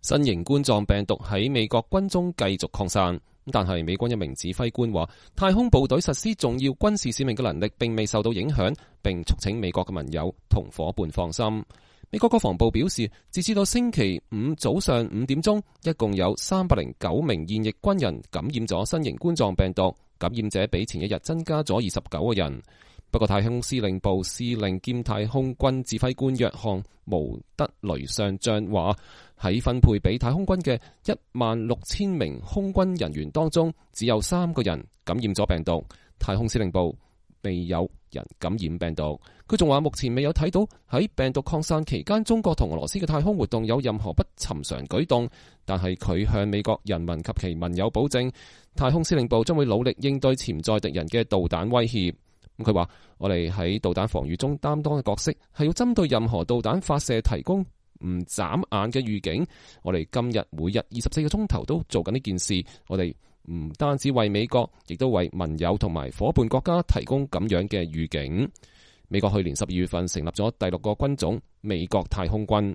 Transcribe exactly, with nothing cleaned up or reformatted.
新型冠狀病毒喺美國軍中繼續擴散，但係美軍一名指揮官話，太空部隊實施重要軍事使命嘅能力並未受到影響，並促請美國嘅盟友同夥伴放心。美國國防部表示，截至到星期五早上五點鐘，一共有三百零九名現役軍人感染咗新型冠狀病毒，感染者比前一日增加咗二十九個人。不過太空司令部司令兼太空軍指揮官約翰毛德雷上將話，喺分配俾太空軍嘅一萬六千名空軍人員當中，只有三個人感染咗病毒。太空司令部未有人感染病毒。佢仲話，目前未有睇到喺病毒擴散期間中國同俄羅斯嘅太空活動有任何不尋常舉動，但係佢向美國人民及其盟友保證，太空司令部將會努力應對潛在敵人嘅導彈威脅。佢話，我哋喺導彈防禦中擔當嘅角色係要針對任何導彈發射提供唔眨眼嘅預警。我哋今日每日二十四個鐘頭都做緊呢件事。我哋唔單止為美國，亦都為盟友同埋夥伴國家提供咁樣嘅預警。美國去年十二月份成立咗第六個軍種——美國太空軍。